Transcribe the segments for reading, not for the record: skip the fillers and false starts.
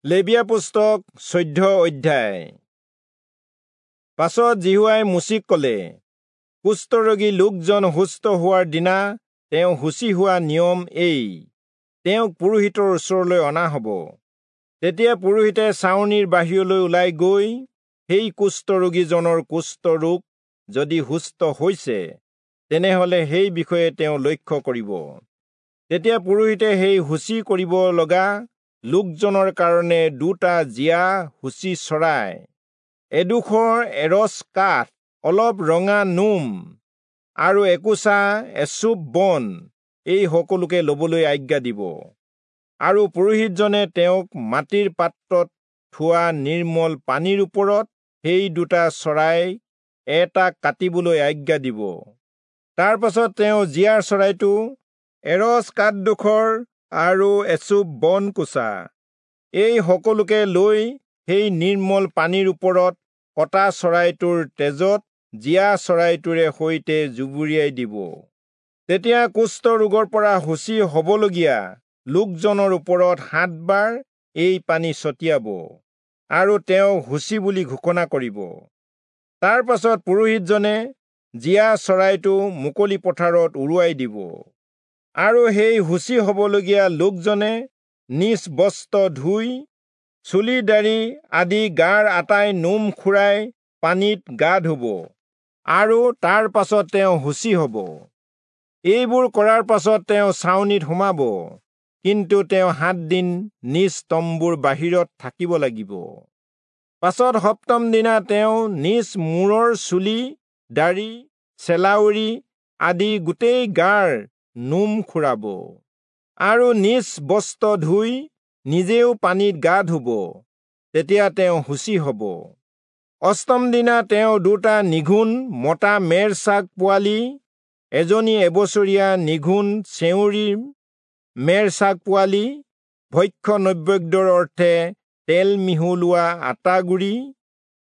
লেবীয়া পুস্তক 14 অধ্যায়। পাছত যিহোৱাই মোচিক ক'লে, কুষ্ঠৰোগী লোকজন সুস্থ হোৱাৰ দিনা তেওঁ শুচি হোৱা নিয়ম এই, তেওঁক পুৰোহিতৰ ওচৰলৈ অনা হ'ব। তেতিয়া পুৰোহিতে ছাউনিৰ বাহিৰলৈ ওলাই গৈ সেই কুষ্ঠৰোগীজনৰ কুষ্ঠৰোগ যদি সুস্থ হৈছে, তেনেহ'লে সেই বিষয়ে তেওঁ লক্ষ্য কৰিব। তেতিয়া পুৰোহিতে সেই শুচি কৰিব লগা লোকজনৰ কাৰণে দুটা জীয়া শুচি চৰাই, এডোখৰ এৰচ কাঠ, অলপ ৰঙা নোম আৰু একোচা এচুপ বন, এই সকলোকে ল'বলৈ আজ্ঞা দিব। আৰু পুৰোহিতজনে তেওঁক মাটিৰ পাত্ৰত থোৱা নিৰ্মল পানীৰ ওপৰত সেই দুটা চৰাই এটা কাটিবলৈ আজ্ঞা দিব। তাৰ পাছত তেওঁ জীয়া চৰাইটো, এৰচ কাঠডোখৰ আৰু এচুপ বন কোচা, এই সকলোকে লৈ সেই নিৰ্মল পানীৰ ওপৰত কটা চৰাইটোৰ তেজত জীয়া চৰাইটোৰে সৈতে জুবুৰিয়াই দিব। তেতিয়া কুষ্ঠ ৰোগৰ পৰা শুচি হ'বলগীয়া লোকজনৰ ওপৰত 7 বাৰ এই পানী ছটিয়াব আৰু তেওঁক শুচি বুলি ঘোষণা কৰিব। তাৰ পাছত পুৰোহিতজনে জীয়া চৰাইটো মুকলি পথাৰত উৰুৱাই দিব। আৰু সেই শুচি হ'বলগীয়া লোকজনে নিজ বস্ত্ৰ ধুই চুলি দাড়ি আদি গাৰ আটাই নোম খুৰাই পানীত গা ধুব আৰু তাৰ পাছত তেওঁ শুচি হ'ব। এইবোৰ কৰাৰ পাছত তেওঁ ছাউনিত সোমাব, কিন্তু তেওঁ 7 দিন নিজ তম্বুৰ বাহিৰত থাকিব লাগিব। পাছত সপ্তম দিনা তেওঁ নিজ মূৰৰ চুলি, দাড়ি, চেলাউৰি আদি গোটেই গাৰ নোম খুৰাব আৰু নিজ বস্ত্ৰ ধুই নিজেও পানীত গা ধুব, তেতিয়া তেওঁ শুচি হ'ব। অষ্টম দিনা তেওঁ দুটা নিঘুণ মতা মেৰ ছাগ পোৱালি, এজনী এবছৰীয়া নিঘুণ চেউৰী মেৰ ছাগ পোৱালি, ভক্ষ্য নৈবেদ্যৰ অৰ্থে তেল মিহলোৱা আটাগুড়ি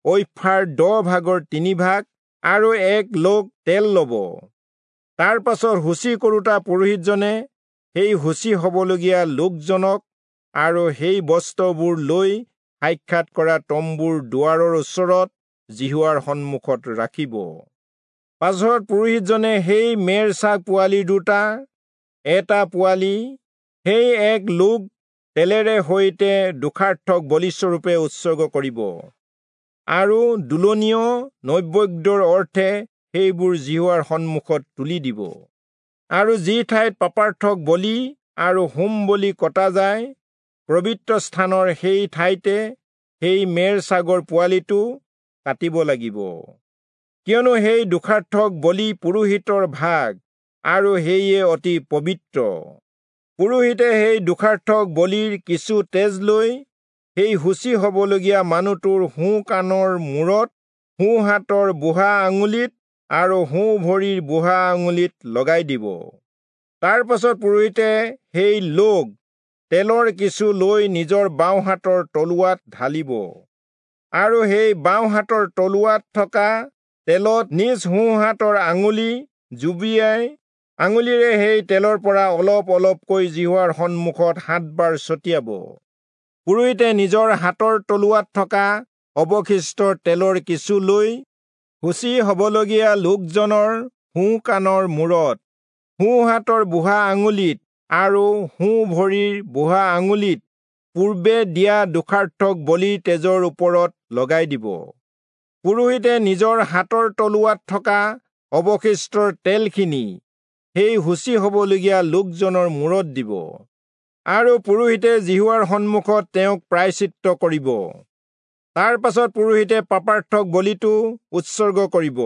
ঐফাৰ 10 ভাগৰ 3 ভাগ আৰু এক লোগ তেল ল'ব। তাৰ পাছত শুচি কৰোঁতা পুৰোহিতজনে সেই শুচি হ'বলগীয়া লোকজনক আৰু সেই বস্ত্ৰবোৰ লৈ সাক্ষাৎ কৰা তম্বুৰ দুৱাৰৰ ওচৰত যিহোৱাৰ সন্মুখত ৰাখিব। পাছত পুৰোহিতজনে সেই মেৰ ছাগ পোৱালি দুটা, এটা পোৱালি, সেই এক লোগ তেলেৰে সৈতে দোষাৰ্থক বলিস্বৰূপে উৎসৰ্গ কৰিব আৰু দোলনীয় নৈবেদ্যৰ অৰ্থে সেইবোৰ যিহোৱাৰ সন্মুখত তুলি দিব। আৰু যি ঠাইত পাপাৰ্থক বলি আৰু হোম বলি কটা যায়, পবিত্ৰ স্থানৰ সেই ঠাইতে সেই মেৰ ছাগৰ পোৱালিটো কাটিব লাগিব। কিয়নো সেই দোষাৰ্থক বলি পুৰোহিতৰ ভাগ আৰু সেয়ে অতি পবিত্ৰ। পুৰোহিতে সেই দোষাৰ্থক বলিৰ কিছু তেজ লৈ সেই শুচি হ'বলগীয়া মানুহটোৰ সোঁ কাণৰ মূৰত, সোঁ হাতৰ বুঢ়া আঙুলিত আৰু সোঁ ভৰিৰ বুঢ়া আঙুলিত লগাই দিব। তাৰ পাছত পুৰোহিতে সেই লোগ তেলৰ কিছু লৈ নিজৰ বাওঁ হাতৰ তলুৱাত ঢালিব আৰু সেই বাওঁ হাতৰ তলুৱাত থকা তেলত নিজ সোঁ হাতৰ আঙুলি জুবিয়াই আঙুলিৰে সেই তেলৰ পৰা অলপ অলপকৈ যিহোৱাৰ সন্মুখত 7 বাৰ ছটিয়াব। পুৰোহিতে নিজৰ হাতৰ তলুৱাত থকা অৱশিষ্ট তেলৰ কিছু লৈ শুচি হ'বলগীয়া লোকজনৰ সোঁ কাণৰ মূৰত, সোঁ হাতৰ বুঢ়া আঙুলিত আৰু সোঁ ভৰিৰ বুঢ়া আঙুলিত পূৰ্বে দিয়া দোষাৰ্থক বলিৰ তেজৰ ওপৰত লগাই দিব। পুৰোহিতে নিজৰ হাতৰ তলুৱাত থকা অৱশিষ্ট তেলখিনি সেই শুচি হ'বলগীয়া লোকজনৰ মূৰত দিব আৰু পুৰোহিতে যিহোৱাৰ সন্মুখত তেওঁক প্ৰায়শ্চিত্ত কৰিব। তাৰ পাছত পুৰোহিতে পাপাৰ্থক বলিটো উৎসৰ্গ কৰিব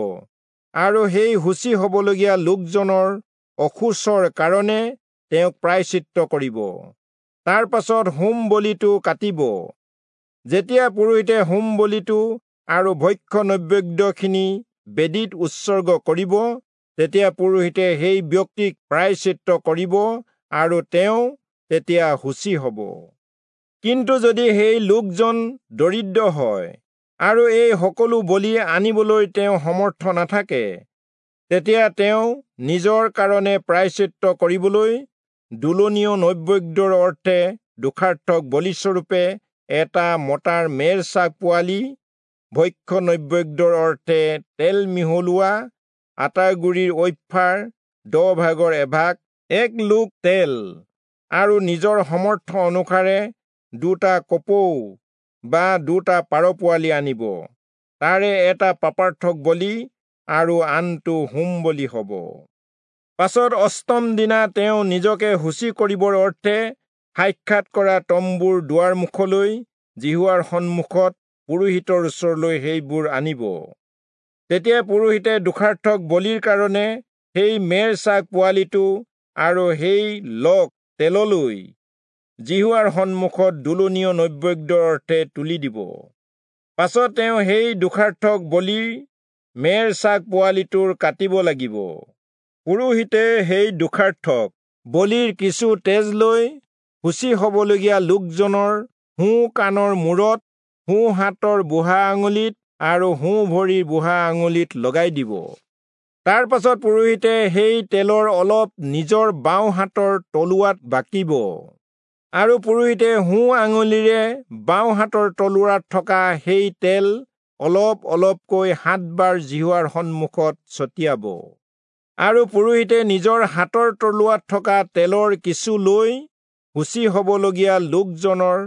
আৰু সেই শুচি হ'বলগীয়া লোকজনৰ অশৌচৰ কাৰণে তেওঁক প্ৰায়শ্চিত্ত কৰিব। তাৰ পাছত হোম বলিটো কাটিব। যেতিয়া পুৰোহিতে হোম বলিটো আৰু ভক্ষ্য নৈবেদ্যখিনি বেদীত উৎসৰ্গ কৰিব, তেতিয়া পুৰোহিতে সেই ব্যক্তিক প্ৰায়শ্চিত্ত কৰিব আৰু তেওঁ তেতিয়া শুচি হ'ব। কিন্তু যদি সেই লোকজন দৰিদ্ৰ হয় আৰু এই সকলো বলি আনিবলৈ তেওঁ সমৰ্থ নাথাকে, তেতিয়া তেওঁ নিজৰ কাৰণে প্ৰায়শ্চিত্ত কৰিবলৈ দোলনীয় নৈবেদ্যৰ অৰ্থে দোষাৰ্থক বলিস্বৰূপে এটা মতাৰ মেৰ ছাগ পোৱালি, ভক্ষ্য নৈবেদ্যৰ অৰ্থে তেল মিহলোৱা আটাৰ গুড়িৰ ঐফাৰ 10 ভাগৰ 1 ভাগ এক লোগ তেল, আৰু নিজৰ সমৰ্থ অনুসাৰে দুটা কপৌ বা দুটা পাৰ পোৱালি আনিব। তাৰে এটা পাপাৰ্থক বলি আৰু আনটো হোম বলি হ'ব। পাছত অষ্টম দিনা তেওঁ নিজকে শুচি কৰিবৰ অৰ্থে সাক্ষাৎ কৰা তম্বুৰ দুৱাৰ মুখলৈ যিহোৱাৰ সন্মুখত পুৰোহিতৰ ওচৰলৈ সেইবোৰ আনিব। তেতিয়া পুৰোহিতে দোষাৰ্থক বলিৰ কাৰণে সেই মেৰ ছাগ পোৱালিটো আৰু সেই লগ তেললৈ যিহোৱাৰ সন্মুখত দোলনীয় নৈবেদ্যৰ অৰ্থে তুলি দিব। পাছত তেওঁ সেই দোষাৰ্থক বলিৰ মেৰ ছাগ পোৱালিটোৰ কাটিব লাগিব। পুৰোহিতে সেই দোষাৰ্থক বলিৰ কিছু তেজ লৈ শুচি হ'বলগীয়া লোকজনৰ সোঁ কাণৰ মূৰত, সোঁ হাতৰ বুঢ়া আঙুলিত আৰু সোঁ ভৰিৰ বুঢ়া আঙুলিত লগাই দিব। তাৰ পাছত পুৰোহিতে সেই তেলৰ অলপ নিজৰ বাওঁ হাতৰ তলুৱাত বাকিব আৰু পুৰোহিতে সোঁ আঙুলিৰে বাওঁ হাতৰ তলুৱাত থকা সেই তেল অলপ অলপকৈ সাতবাৰ যিহোৱাৰ সন্মুখত ছটিয়াব। আৰু পুৰোহিতে নিজৰ হাতৰ তলুৱাত থকা তেলৰ কিছু লৈ শুচি হ'বলগীয়া লোকজনৰ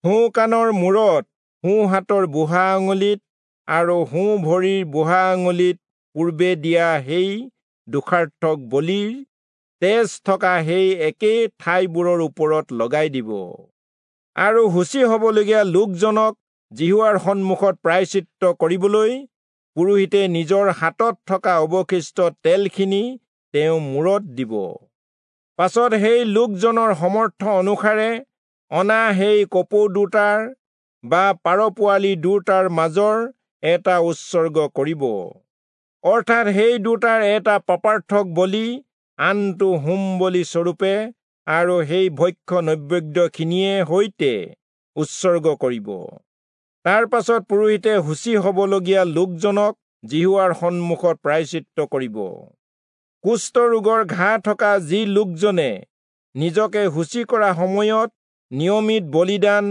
সোঁ কাণৰ মূৰত, সোঁ হাতৰ বুঢ়া আঙুলিত আৰু সোঁ ভৰিৰ বুঢ়া আঙুলিত পূৰ্বে দিয়া সেই দোষাৰ্থক বলিৰ তেজ থকা সেই একে ঠাইবোৰৰ ওপৰত লগাই দিব। আৰু শুচি হ'বলগীয়া লোকজনক যিহোৱাৰ সন্মুখত প্ৰায়শ্চিত্ত কৰিবলৈ পুৰোহিতে নিজৰ হাতত থকা অৱশিষ্ট তেলখিনি তেওঁৰ মূৰত দিব। পাছত সেই লোকজনৰ সমৰ্থ অনুসাৰে অনা সেই কপৌ দুটাৰ বা পাৰ পোৱালি দুটাৰ মাজৰ এটা উৎসৰ্গ কৰিব, অৰ্থাৎ সেই দুটাৰ এটা পাপাৰ্থক বলি, আনটো হোম বলি স্বৰূপে আৰু সেই ভক্ষ্য নৈবেদ্যখিনিয়ে সৈতে উৎসৰ্গ কৰিব। তাৰ পাছত পুৰোহিতে শুচি হ'বলগীয়া লোকজনক যিহোৱাৰ সন্মুখত প্ৰায়শ্চিত্ত কৰিব। কুষ্ঠ ৰোগৰ ঘাঁ থকা যি লোকজনে নিজকে শুচি কৰা সময়ত নিয়মিত বলিদান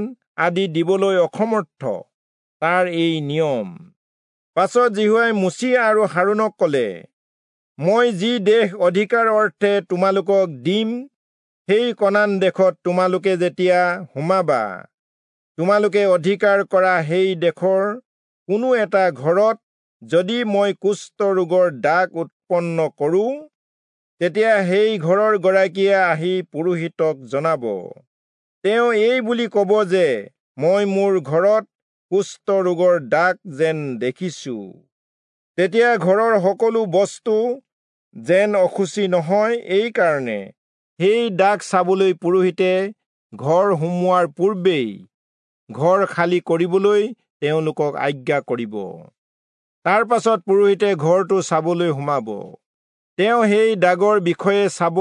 আদি দিবলৈ অসমৰ্থ, তাৰ এই নিয়ম। পাছত যিহোৱাই মোচি আৰু হাৰোণক কলে, মই যি দেশ অধিকাৰ অৰ্থে তোমালোকক দিম, সেই কনান দেশত তোমালোকে যেতিয়া সোমাবা, তোমালোকে অধিকাৰ কৰা সেই দেশৰ কোনো এটা ঘৰত যদি মই কুষ্ঠ ৰোগৰ দাগ উৎপন্ন কৰোঁ, তেতিয়া সেই ঘৰৰ গৰাকীয়ে আহি পুৰোহিতক জনাব। তেওঁ এই বুলি কব যে মই মোৰ ঘৰত কুষ্ঠ ৰোগৰ দাগ যেন দেখিছো। তেতিয়া ঘৰৰ সকলো বস্তু যেন অশুচি নহয়, এই কাৰণে সেই দাগ চাবলৈ পুৰোহিতে ঘৰ সোমোৱাৰ পূৰ্বেই ঘৰ খালী কৰিবলৈ তেওঁলোকক আজ্ঞা কৰিব। তাৰ পাছত পুৰোহিতে ঘৰটো চাবলৈ সোমাব। তেওঁ সেই দাগৰ বিষয়ে চাব।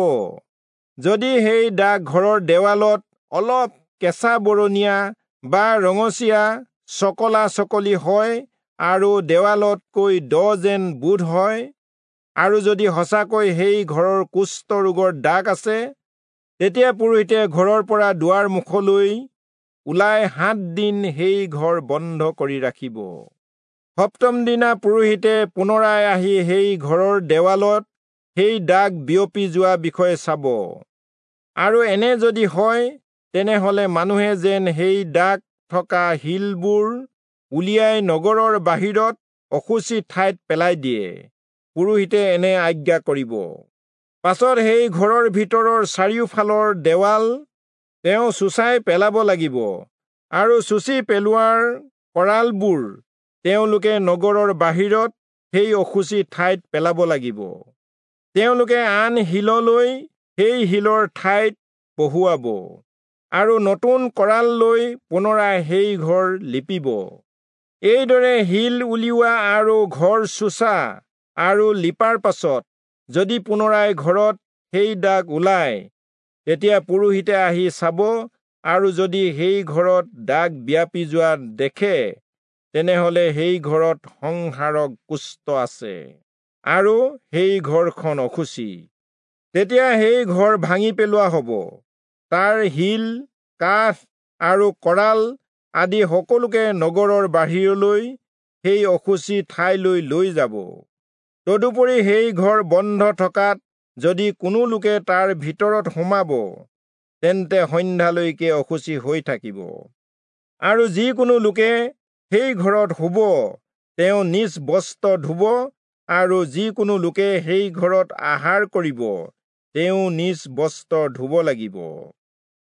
যদি সেই দাগ ঘৰৰ দেৱালত অলপ কেঁচা বৰণীয়া বা ৰঙচীয়া চকলা চকলি হয় আৰু দেৱালতকৈ দ যেন বোধ হয়, আৰু যদি সঁচাকৈ সেই ঘৰৰ কুষ্ঠ ৰোগৰ দাগ আছে, তেতিয়া পুৰোহিতে ঘৰৰ পৰা দুৱাৰ মুখলৈ ওলাই 7 দিন সেই ঘৰ বন্ধ কৰি ৰাখিব। সপ্তম দিনা পুৰোহিতে পুনৰাই আহি সেই ঘৰৰ দেৱালত সেই দাগ বিয়পি যোৱা বিষয়ে চাব, আৰু এনে যদি হয়, তেনেহলে মানুহে যেন সেই দাগ থকা শিলবোৰ উলিয়াই নগৰৰ বাহিৰত অশুচি ঠাইত পেলাই দিয়ে, পুৰোহিতে এনে আজ্ঞা কৰিব। পাছত সেই ঘৰৰ ভিতৰৰ চাৰিওফালৰ দেৱাল তেওঁ চুঁচাই পেলাব লাগিব আৰু চুচি পেলোৱাৰ কৰালবোৰ তেওঁলোকে নগৰৰ বাহিৰত সেই অশুচি ঠাইত পেলাব লাগিব। তেওঁলোকে আন শিললৈ সেই শিলৰ ঠাইত বহুৱাব আৰু নতুন কৰাল লৈ পুনৰাই সেই ঘৰ লিপিব। এইদৰে শিল উলিওৱা আৰু ঘৰ চুচা আৰু লিপাৰ পাছত যদি পুনৰাই ঘৰত সেই দাগ ওলায়, তেতিয়া পুৰোহিতে আহি চাব আৰু যদি সেই ঘৰত দাগ বিয়পি যোৱা দেখে, তেনেহলে সেই ঘৰত সংহাৰক কুষ্ঠ আছে আৰু সেই ঘৰখন অশুচি। তেতিয়া সেই ঘৰ ভাঙি পেলোৱা হ'ব। তাৰ শিল, কাঠ আৰু কৰাল আদি সকলোকে নগৰৰ বাহিৰলৈ সেই অশুচি ঠাইলৈ লৈ যাব। তদুপৰি সেই ঘৰ বন্ধ থকাত যদি কোনো লোকে তাৰ ভিতৰত সোমাব, তেন্তে সন্ধ্যালৈকে অশুচি হৈ থাকিব। আৰু যিকোনো লোকে সেই ঘৰত শুব, তেওঁ নিজ বস্ত্ৰ ধুব, আৰু যিকোনো লোকে সেই ঘৰত আহাৰ কৰিব, তেওঁ নিজ বস্ত্ৰ ধুব লাগিব।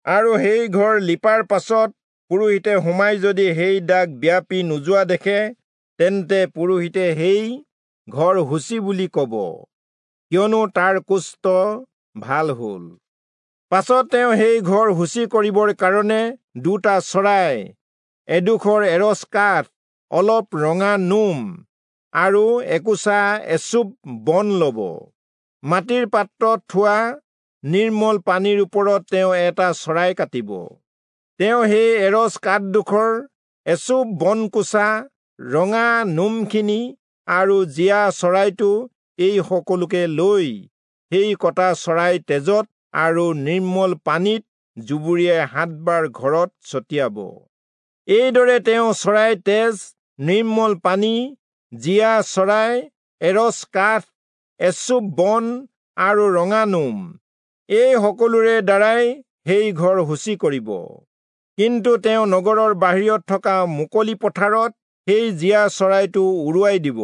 আৰু সেই ঘৰ লিপাৰ পাছত পুৰোহিতে সোমাই যদি সেই দাগ ব্যাপি নোযোৱা দেখে, তেন্তে পুৰোহিতে সেই ঘৰ শুচি বুলি কব, কিয়নো তাৰ কুষ্ঠ ভাল হল। পাছত তেওঁ সেই ঘৰ শুচি কৰিবৰ কাৰণে 2টা চৰাই, এডোখৰ এৰচ কাঠ, অলপ ৰঙা নোম আৰু একোচা এচুপ বন লব। মাটিৰ পাত্ৰত থোৱা নিৰ্মল পানীৰ ওপৰত তেওঁ এটা চৰাই কাটিব। তেওঁ সেই এৰচ কাঠডোখৰ, এচুপ বনকোচা, ৰঙা নোমখিনি আৰু জীয়া চৰাইটো এই সকলোকে লৈ সেই কটা চৰাই তেজত আৰু নিৰ্মল পানীত জুবুৰিয়াই 7 বাৰ ঘৰত ছটিয়াব। এইদৰে তেওঁ চৰাই তেজ, নিৰ্মল পানী, জীয়া চৰাই, এৰচ কাঠ, এচুপ বন আৰু ৰঙা নোম এই সকলোৰে দ্বাৰাই সেই ঘৰ শুচি কৰিব। কিন্তু তেওঁ নগৰৰ বাহিৰত থকা মুকলি পথাৰত সেই জীয়া চৰাইটো উৰুৱাই দিব।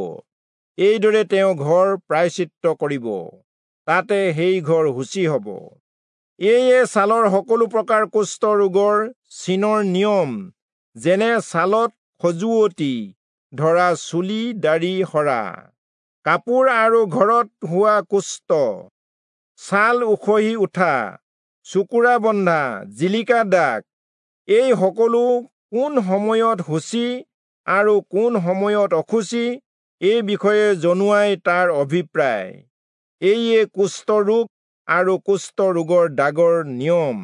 এইদৰে তেওঁ ঘৰ প্ৰায়শ্চিত্ত কৰিব, তাতে সেই ঘৰ শুচি হ'ব। এয়ে ছালৰ সকলো প্ৰকাৰ কুষ্ঠ ৰোগৰ চিনৰ নিয়ম, যেনে ছালত খজুৱতি ধৰা, চুলি দাড়ি সৰা, কাপোৰ আৰু ঘৰত হোৱা কুষ্ঠ, ছাল উখহি উঠা, চুকুৰা বন্ধা, জিলিকা দাগ, এই সকলো কোন সময়ত শুচি আৰু কোন সময়ত অশুচি এই বিষয়ে জনোৱাই তাৰ অভিপ্ৰায়। এয়ে কুষ্ঠ ৰোগ আৰু কুষ্ঠ ৰোগৰ দাগৰ নিয়ম।